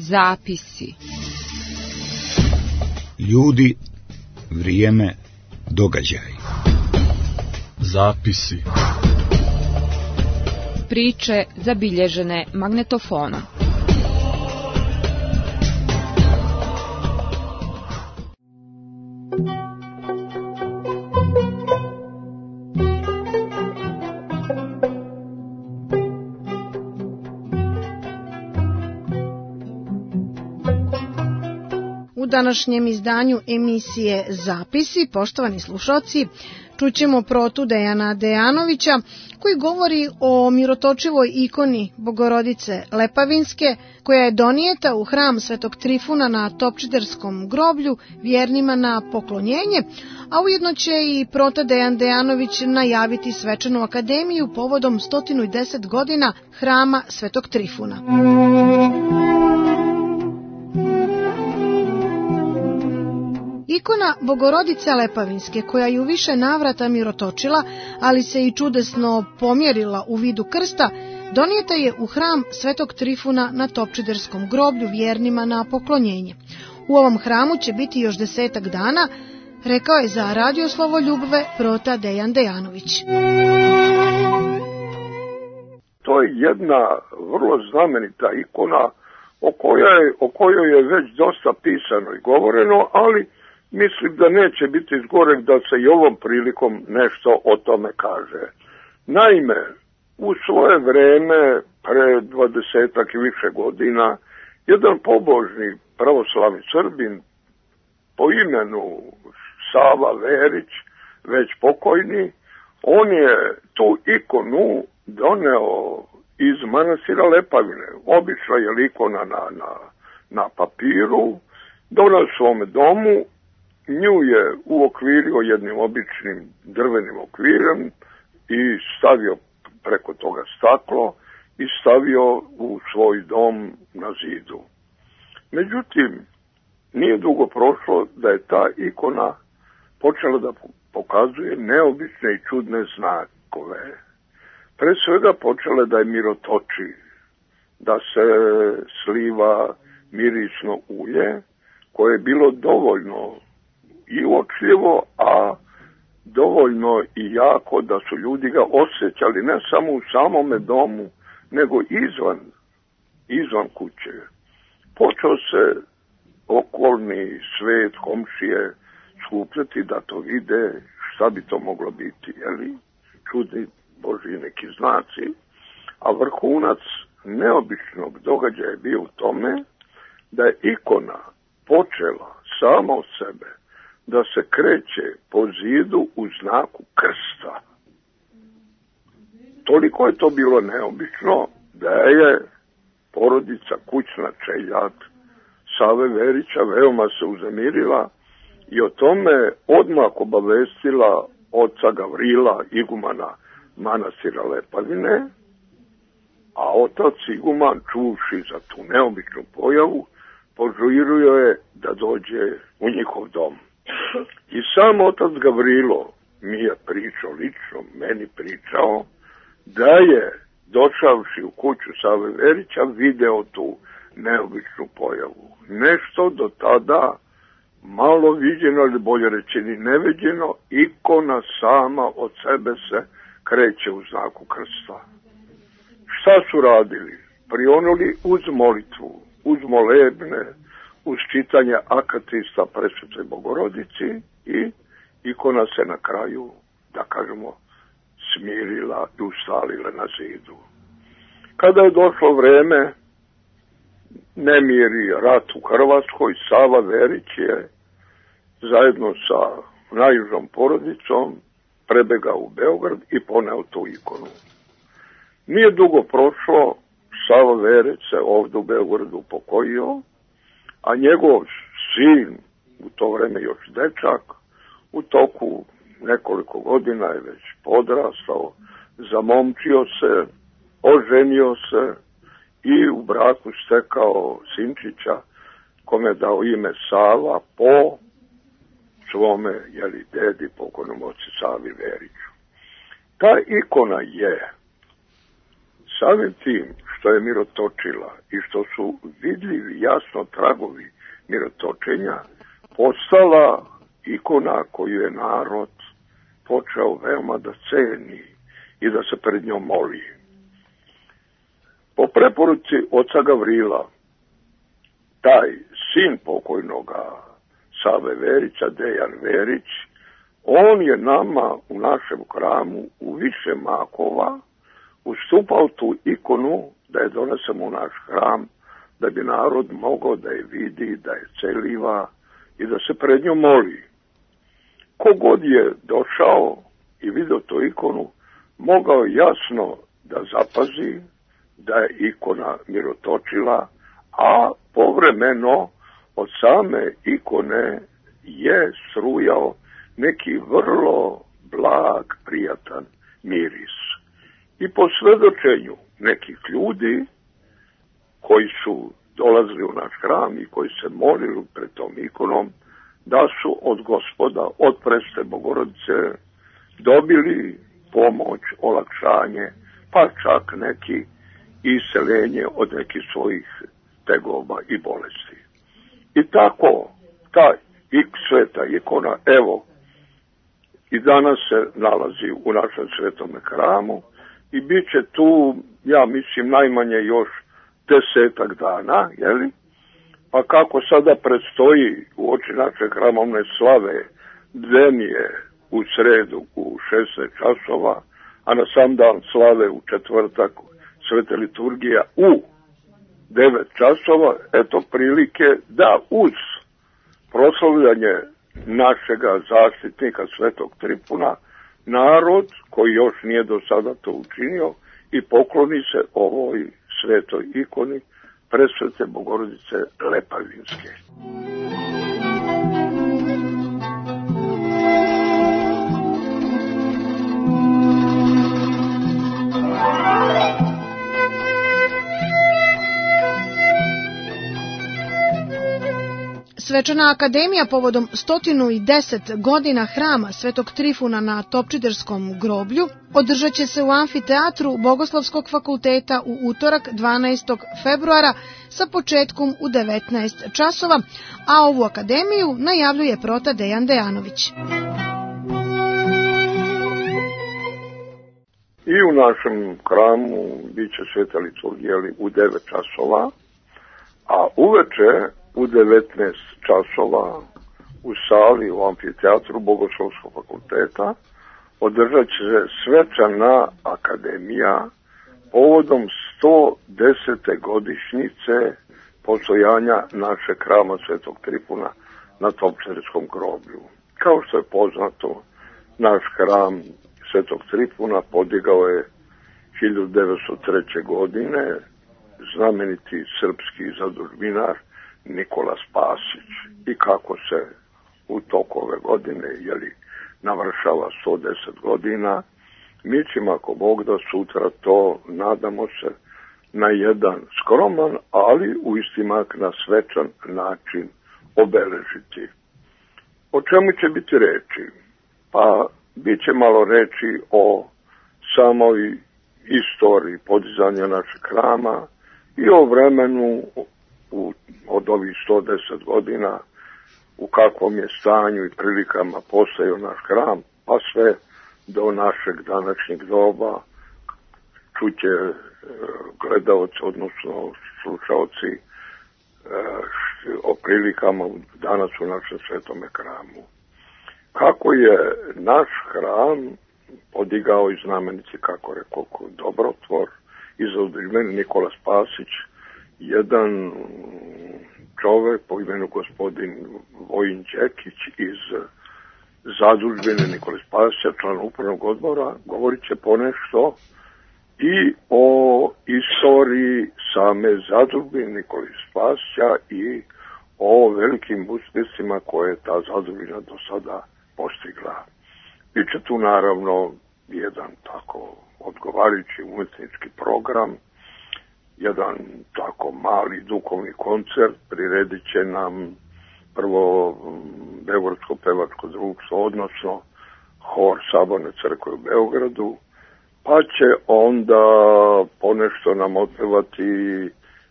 Zapisi. Ljudi, vrijeme, događaj. Zapisi. Priče zabilježene magnetofonom. U današnjem izdanju emisije Zapisi, poštovani slušalci, čućemo protu Dejana Dejanovića, koji govori o mirotočivoj ikoni Bogorodice Lepavinske, koja je donijeta u hram Svetog Trifuna na Topčiderskom groblju vjernima na poklonjenje, a ujedno će i prota Dejan Dejanović najaviti svečanu akademiju povodom 110 godina hrama Svetog Trifuna. Ikona Bogorodice Lepavinske, koja je u više navrata mirotočila, ali se i čudesno pomjerila u vidu krsta, donijeta je u hram Svetog Trifuna na Topčiderskom groblju vjernima na poklonjenje. U ovom hramu će biti još 10 dana, rekao je za Radio Slovoljubve prota Dejan Dejanović. To je jedna vrlo znamenita ikona o kojoj je već dosta pisano i govoreno, ali mislim da neće biti zgoreg da se i ovom prilikom nešto o tome kaže. Naime, u svoje vreme, pre 20 i više godina, jedan pobožni pravoslavni Srbin po imenu Sava Verić, već pokojni, on je tu ikonu doneo iz manastira Lepavine. Obična je ikona na papiru, doneo svome domu, nju je uokvirio jednim običnim drvenim okvirom i stavio preko toga staklo i stavio u svoj dom na zidu. Međutim, nije dugo prošlo da je ta ikona počela da pokazuje neobične i čudne znakove. Pre svega počela da je mirotoči, da se sliva mirisno ulje, koje je bilo dovoljno i uočljivo, a dovoljno i jako da su ljudi ga osjećali ne samo u samome domu, nego izvan kuće. Počeo se okolni svet, komšije skupljati da to vide šta bi to moglo biti, jeli? Čudni Božji neki znaci, a vrhunac neobičnog događaja je bio u tome da je ikona počela sama od sebe da se kreće po zidu u znaku krsta. Toliko je to bilo neobično da je porodica, kućna čeljad Save Verića veoma se uzemirila i o tome odmah obavestila oca Gavrila, igumana manastira Lepavine, a otac iguman, čuvši za tu neobičnu pojavu, požurio je da dođe u njihov dom. I sam otac Gavrilo mi je pričao, lično meni pričao, da je došavši u kuću Save Verića video tu neobičnu pojavu. Nešto do tada malo viđeno, ili bolje rečeni neviđeno, ikona sama od sebe se kreće u znaku krsta. Šta su radili? Prionuli uz molitvu, uz molebne, uz čitanje akatista Presvetoj Bogorodici i ikona se na kraju, da kažemo, smirila i ustalila na zidu. Kada je došlo vreme, nemir i rat u Hrvatskoj, Sava Verić je zajedno sa najužom porodicom prebegao u Beograd i poneo tu ikonu. Nije dugo prošlo, Sava Verić se ovdje u Beogradu upokojio, a njegov sin, u to vreme još dečak, u toku nekoliko godina je već podrastao, zamomčio se, oženio se i u braku stekao sinčića, kome je dao ime Sava po svome, dedi, pokojnom ocu Savi Veriću. Ta ikona je samim tim što je mirotočila i što su vidljivi jasno tragovi mirotočenja, postala ikona koju je narod počeo veoma da ceni i da se pred njom moli. Po preporuci oca Gavrila, taj sin pokojnoga Save Verića, Dejan Verić, on je nama u našem hramu u više makova ustupao tu ikonu da je donesemo u naš hram, da bi narod mogao da je vidi, da je celiva i da se pred njom moli. Kogod je došao i vidio tu ikonu, mogao jasno da zapazi da je ikona mirotočila, a povremeno od same ikone je strujao neki vrlo blag, prijatan miris. I po svedočenju nekih ljudi koji su dolazili u naš hram i koji se molili pred tom ikonom, da su od Gospoda, od Presvete Bogorodice dobili pomoć, olakšanje, pa čak neki iseljenje od nekih svojih tegoba i bolesti. I tako, ta sveta ikona, evo, i danas se nalazi u našem svetome hramu i bit će tu, ja mislim, najmanje još 10 dana, jeli? Pa kako sada predstoji u oči naše hramovne slave dvenije u sredu u 16 časova, a na sam dan slave u četvrtak svete liturgija u 9 časova, eto prilike da uz proslavljanje našega zaštitnika Svetog Tripuna, narod koji još nije do sada to učinio i pokloni se ovoj svetoj ikoni Presvete Bogorodice Lepavinske. Svečana akademija povodom 110 godina hrama Svetog Trifuna na Topčiderskom groblju održat će se u amfiteatru Bogoslovskog fakulteta u utorak 12. februara sa početkom u 19 časova, a ovu akademiju najavljuje prota Dejan Dejanović. I u našem hramu bit će sveta liturgija u 9 časova, a uveče u 19 časova u sali u amfiteatru Bogoslovskog fakulteta održat će se svečana akademija povodom 110. godišnjice postojanja našeg hrama Svetog Tripuna na Topčiderskom groblju. Kao što je poznato, naš hram Svetog Tripuna podigao je 1903. godine znameniti srpski zadužbinar Nikola Spasić. I kako se u toku ove godine navršava 110 godina, mi ćemo, ako Bog da, sutra to, nadamo se, na jedan skroman, ali u istimak na svečan način obeležiti. O čemu će biti reči? Pa bit će malo reči o samoj istoriji podizanja našeg hrama i o vremenu od ovih 110 godina, u kakvom je stanju i prilikama postojao naš hram, pa sve do našeg današnjeg doba. Čuće gledaoci, odnosno slušaoci, o prilikama danas u našem svetome hramu. Kako je naš hram podigao i znamenici, kako rekao, dobrotvor i zadužbeni Nikola Spasić, jedan čovek po imenu gospodin Vojin Đekić iz zadužbine Nikole Spasića, član upravnog odbora, govorit će ponešto i o istoriji same zadužbine Nikole Spasića i o velikim uspjesima koje je ta zadužbina do sada postigla. Biće tu naravno jedan tako odgovarajući umetnički program, jedan tako mali duhovni koncert, priredit će nam prvo Beogradsko pevačko društvo, odnosno hor Saborne crkve u Beogradu, pa će onda ponešto nam otpevati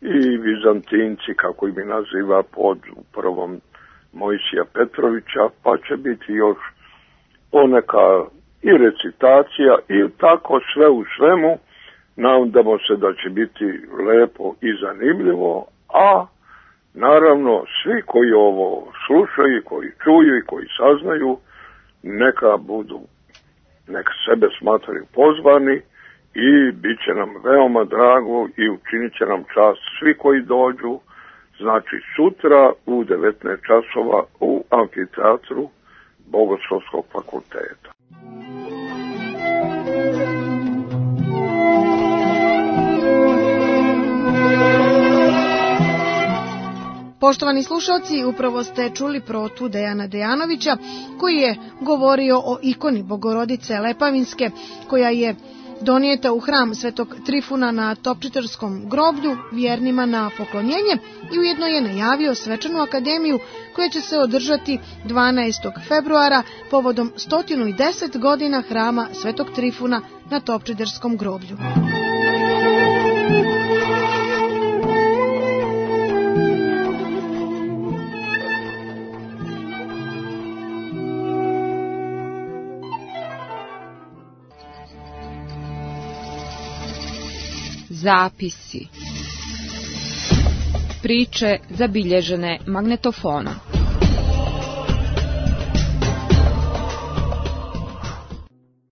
i Vizantinci, kako ih mi naziva, pod upravom Mojsija Petrovića, pa će biti još poneka i recitacija i tako sve u svemu. Nadamo se da će biti lepo i zanimljivo, a naravno svi koji ovo slušaju, koji čuju i koji saznaju, neka sebe smatraju pozvani i bit će nam veoma drago i učinit će nam čast svi koji dođu, znači sutra u 19 časova u amfiteatru Bogoslovskog fakulteta. Poštovani slušalci, upravo ste čuli protu Dejana Dejanovića koji je govorio o ikoni Bogorodice Lepavinske koja je donijeta u hram Svetog Trifuna na Topčitarskom groblju vjernima na poklonjenje i ujedno je najavio svečanu akademiju koja će se održati 12. februara povodom 110 godina hrama Svetog Trifuna na Topčitarskom groblju. Zapisi. Priče zabilježene magnetofonom.